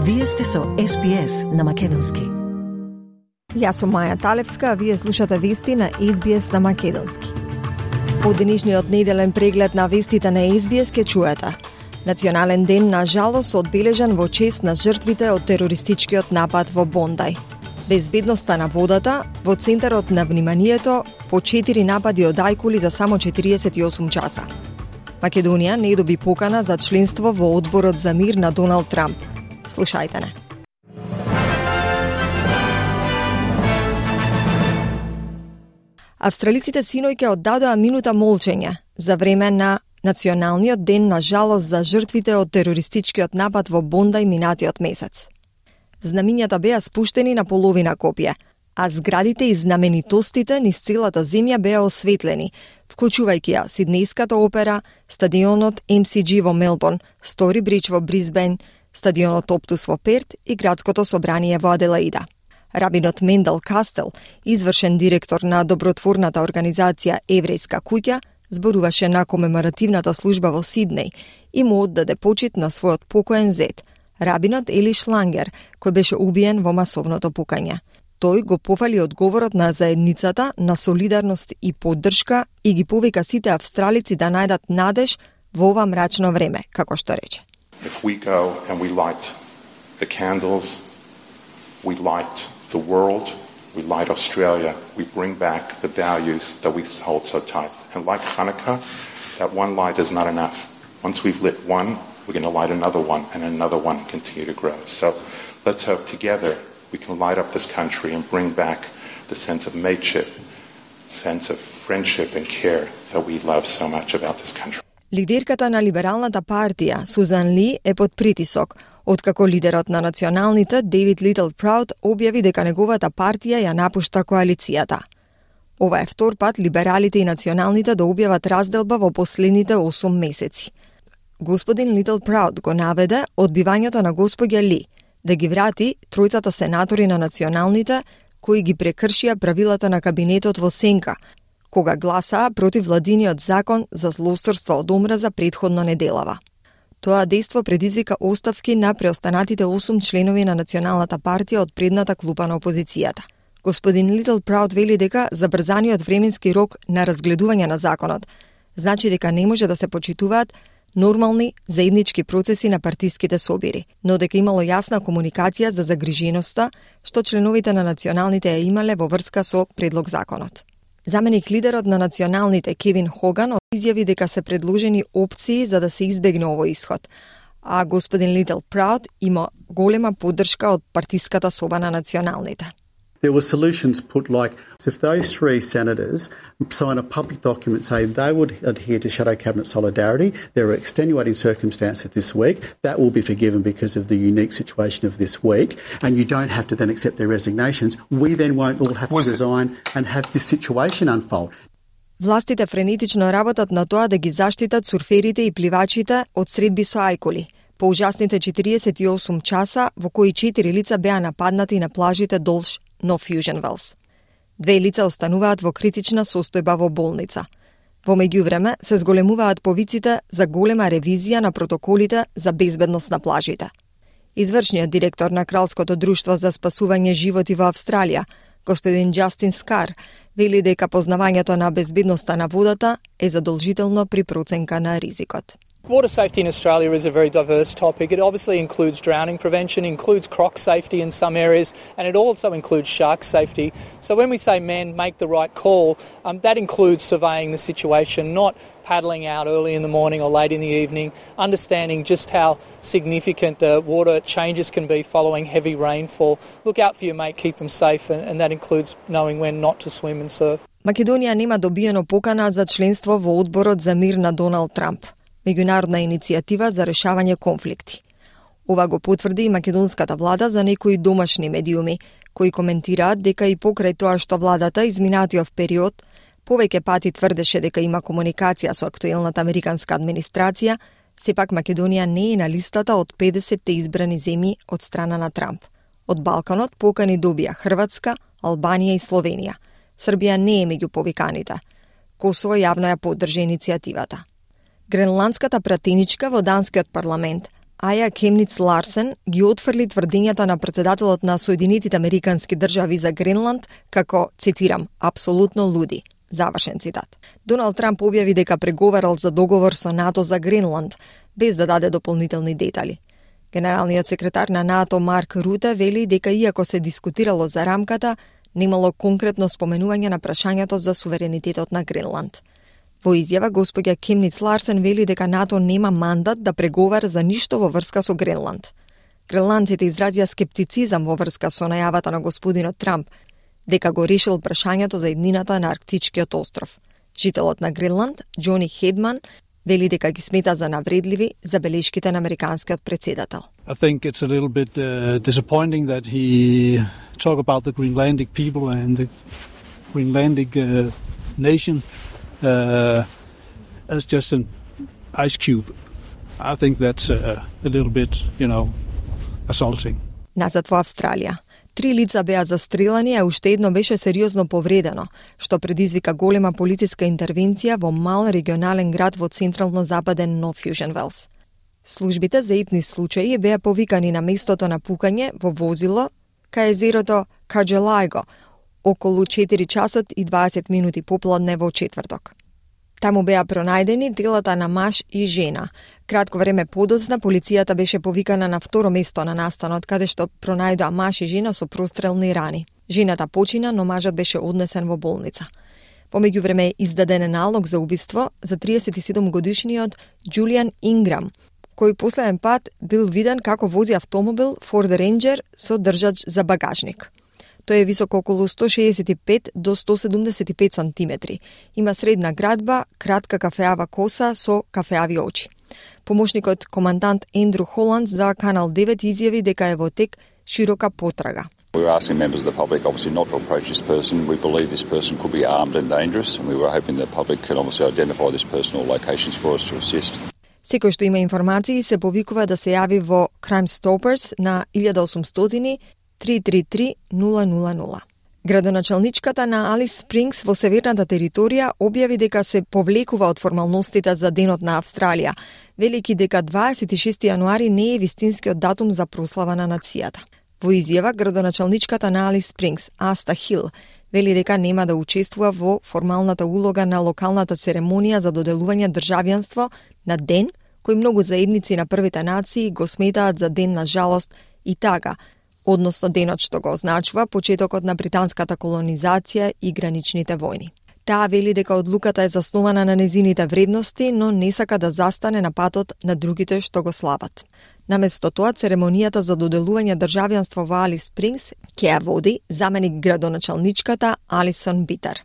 Вие сте со SBS на македонски. Јас сум Маја Талевска, а вие слушате вести на SBS на македонски. Од денешниот неделен преглед на вестите на SBS ке чуете. Национален ден на жалост одбележан во чест на жртвите од терористичкиот напад во Бондај. Безбедноста на водата во центарот на вниманието по 4 напади од ајкули за само 48 часа. Македонија не доби покана за членство во Одборот за мир на Доналд Трамп. Слушајте не. Австралиците синојке оддадоа минута молчење за време на Националниот ден на жалост за жртвите од терористичкиот напад во Бондај минатиот месец. Знамињата беа спуштени на половина копија, а зградите и знаменитостите низ целата земја беа осветлени, вклучувајќи ја Сиднејската опера, стадионот MCG во Мелбурн, Стори Бридж во Брисбен, стадионот Оптус во Перт и градското собрание во Аделаида. Рабинот Мендел Кастел, извршен директор на добротворната организација Еврејска куќа, зборуваше на комеморативната служба во Сиднеј и му оддаде почит на својот покоен зет, рабинот Ели Шлангер, кој беше убиен во масовното пукање. Тој го пофали одговорот на заедницата на солидарност и поддршка и ги повика сите австралици да најдат надеж во ова мрачно време, како што рече. If we go and we light the candles, we light the world, we light Australia, we bring back the values that we hold so tight. And like Hanukkah, that one light is not enough. Once we've lit one, we're going to light another one and another one continue to grow. So let's hope together we can light up this country and bring back the sense of mateship, sense of friendship and care that we love so much about this country. Лидерката на Либералната партија, Сузан Ли, е под притисок, откако лидерот на националните, Дейвид Литл Прауд, објави дека неговата партија ја напушта коалицијата. Ова е втор пат либералите и националните да објават разделба во последните 8 месеци. Господин Литл Прауд го наведе одбивањето на господја Ли да ги врати тројцата сенатори на националните кои ги прекршија правилата на кабинетот во сенка, кога гласаа против владиниот закон за злосторство од омраза претходно неделава. Тоа дејство предизвика оставки на преостанатите 8 членови на Националната партија од предната клупа на опозицијата. Господин Литл Прауд вели дека забрзаниот временски рок на разгледување на законот значи дека не може да се почитуваат нормални заеднички процеси на партиските собири, но дека имало јасна комуникација за загриженоста што членовите на националните ја имале во врска со предлог законот. Заменик лидерот на националните Кевин Хоган изјави дека се предложени опции за да се избегне овој исход, а господин Литл Прауд има голема поддршка од партиската соба на националните. There were solutions put like, if those 3 senators sign a public document saying they would adhere to shadow cabinet solidarity, there are extenuating circumstances this week, that will be forgiven because of the unique situation of this week, and you don't have to then accept their resignations. We then won't all have to resign and have this situation unfold. Властите френетично работат на тоа да ги заштитат сурферите и пливачите од средби со ајкули. По ужасните 48 часа во кои 4 лица беа нападнати на плажите долж No Fusion Wells. 2 лица остануваат во критична состојба во болница. Во меѓувреме се зголемуваат повиците за голема ревизија на протоколите за безбедност на плажите. Извршниот директор на Кралското друштво за спасување животи во Австралија, господин Джастин Скар, вели дека познавањето на безбедноста на водата е задолжително при проценка на ризикот. Water safety in Australia is a very diverse topic. It obviously includes drowning prevention, includes croc safety in some areas, and it also includes shark safety. So when we say men make the right call, that includes surveying the situation, not paddling out early in the morning or late in the evening, understanding just how significant the water changes can be following heavy rainfall. Look out for your mate, keep them safe, and that includes knowing when not to swim and surf. Македонија нема добиено покана за членство во Одборот за мир на Доналд Трамп, меѓународна иницијатива за решавање конфликти. Ова го потврди и македонската влада за некои домашни медиуми, кои коментираат дека и покрај тоа што владата изминатиот период повеќе пати тврдеше дека има комуникација со актуелната американска администрација, сепак Македонија не е на листата од 50 избрани земји од страна на Трамп. Од Балканот покани добија Хрватска, Албанија и Словенија. Србија не е меѓу повиканите. Косово јавно ја поддржа иницијативата. Гренландската пратеничка во данскиот парламент, Аја Кемниц Ларсен ги отфрли тврдењата на претседателот на Соединетите Американски држави за Гренланд како, цитирам, апсолутно луди. Завршен цитат. Доналд Трамп објави дека преговарал за договор со НАТО за Гренланд, без да даде дополнителни детали. Генералниот секретар на НАТО Марк Руте вели дека иако се дискутирало за рамката, немало конкретно споменување на прашањето за суверенитетот на Гренланд. Во изјава, господја Кемниц Ларсен вели дека НАТО нема мандат да преговара за ништо во врска со Гренланд. Гренландците изразија скептицизам во врска со најавата на господинот Трамп, дека го решил прашањето за еднината на Арктичкиот остров. Жителот на Гренланд, Џони Хедман, вели дека ги смета за навредливи забелешките на американскиот претседател. I think it's a little bit disappointing that he talk about the Greenlandic people and the Greenlandic nation as just an ice cube. I think that's a little bit, assaulting. Назад во Австралија. 3 лица беа застрелани, а уште едно беше сериозно повредено, што предизвика голема полициска интервенција во мал регионален град во централно-западен Нов Јужен Велс. Службите за итни случаи беа повикани на местото на пукање во возило кај езерото Каџелајго, околу 4 часот и 20 минути попладне во четврток. Таму беа пронајдени телата на маж и жена. Кратко време подоцна, полицијата беше повикана на второ место на настанот, каде што пронајдоа маж и жена со прострелни рани. Жената почина, но мажот беше однесен во болница. По меѓувреме е издаден налог за убиство за 37-годишниот Џулијан Инграм, кој последен пат бил виден како вози автомобил Ford Ranger со држач за багажник. Тој е висок околу 165 до 175 сантиметри. Има средна градба, кратка кафеава коса со кафеави очи. Помошникот командант Ендру Холанд за Канал 9 изјави дека е во тек широка потрага. We were asking members of the public obviously not to approach this person. We believe this person could be armed and dangerous, and we were hoping the public can obviously identify this person or locations for us to assist. Секој што има информации се повикува да се јави во Crime Stoppers на 1800 333 000. Градоначалничката на Алис Спрингс во северната територија објави дека се повлекува од формалностите за Денот на Австралија, велики дека 26 јануари не е вистинскиот датум за прослава на нацијата. Во изјава, градоначалничката на Алис Спрингс, Аста Хил, вели дека нема да учествува во формалната улога на локалната церемонија за доделување државјанство на ден кој многу заедници на првите нации го сметаат за ден на жалост и тага, односно денот што го означува почетокот на британската колонизација и граничните војни. Таа вели дека одлуката е заснована на незините вредности, но не сака да застане на патот на другите што го слават. Наместо тоа, церемонијата за доделување државјанство во Алис Спрингс ќе ја води заменик градоначалничката Алисон Битер.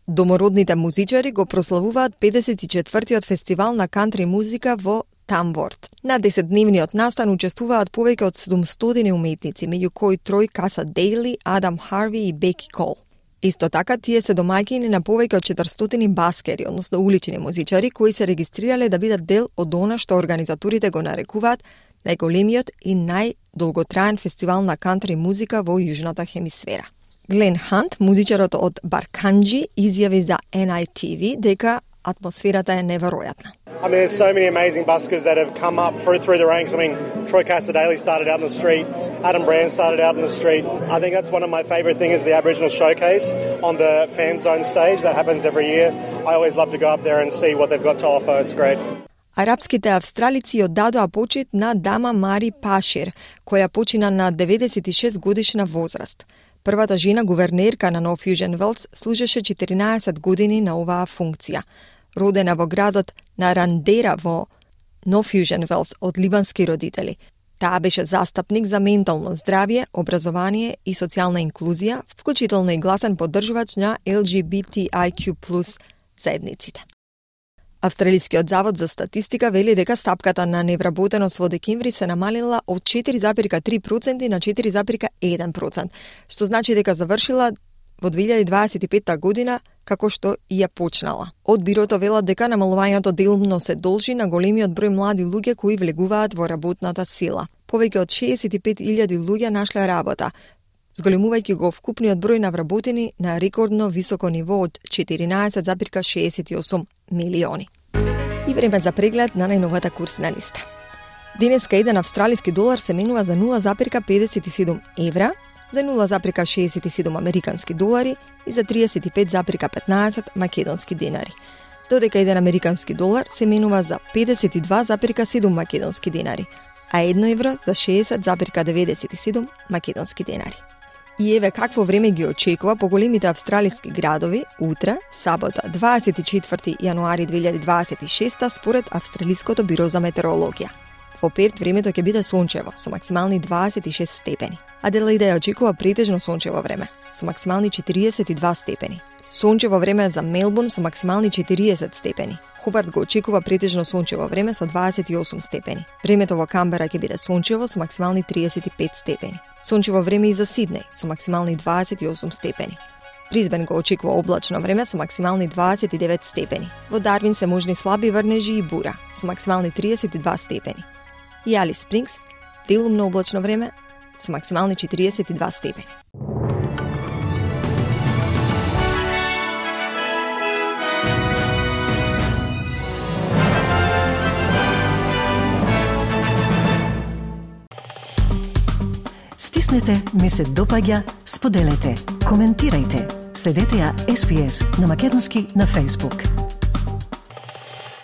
Домородните музичари го прославуваат 54-тиот фестивал на кантри музика во Тамворт. На 10-дневниот настан учествуваат повеќе од 700 уметници, меѓу кои Трој Каса Дейли, Адам Харви и Беки Кол. Исто така, тие се домаќини на повеќе од 400 баскери, односно улични музичари, кои се регистрирале да бидат дел од она што организаторите го нарекуваат најголемиот и најдолготраен фестивал на кантри музика во Јужната хемисфера. Глен Хант, музичарот од Барканџи, изјави за NITV дека атмосферата е неверојатна. I mean, there's so many amazing buskers that have come up through the ranks. I mean, Troy Casadei started out in the street. Adam Brand started out in the street. I think that's one of my favourite things is the Aboriginal Showcase on the Fan Zone stage. That happens every year. I always love to go up there and see what they've got to offer. It's great. Арапските австралици оддадоа почит на дама Мари Пашир, која почина на 96 годишна возраст. Првата жена гувернерка на Нов Јужен Велс служеше 14 години на оваа функција. Родена во градот на Рандера во Нов Јужен Велс од либански родители. Таа беше застапник за ментално здравје, образование и социјална инклузија, вклучително и гласен поддржувач на LGBTIQ+ заедниците. Австралискиот завод за статистика вели дека стапката на невработеност во декември се намалила од 4,3% на 4,1%, што значи дека завршила во 2025 година како што и ја почнала. Од бирото велат дека намалувањето делумно се должи на големиот број млади луѓе кои влегуваат во работната сила. Повеќе од 65.000 луѓе нашле работа, зголемувајќи го вкупниот број на вработени на рекордно високо ниво од 14,68 милиони. И време за преглед на најновата курсна листа. Денеска еден австралиски долар се менува за 0,57 евра, за 0,67 американски долари и за 35,15 македонски денари, додека еден американски долар се менува за 52,7 македонски денари, а 1 евро за 60,97 македонски денари. И еве какво време ги очекува по големите австралиски градови утре, сабота, 24 јануари 2026 според Австралиското биро за метеорологија. Во Перт времето ќе биде сончево со максимални 26 степени. Аделаида ја очекува претежно сончево време со максимални 42 степени. Сончево време за Мелбурн со максимални 40 степени. Хобарт го очекува претежно сончево време со 28 степени. Времето во Камбера ќе биде сончево со максимални 35 степени. Сончево време и за Сиднеј со максимални 28 степени. Брисбен го очекува облачно време со максимални 29 степени. Во Дарвин се можни слаби врнежи и бура со максимални 32 степени. И Алис Спрингс делумно облачно време со максимални 42 степени. Стиснете, ми се допаѓа, споделете, коментирајте. Следете ја SPS на Македонски на Facebook.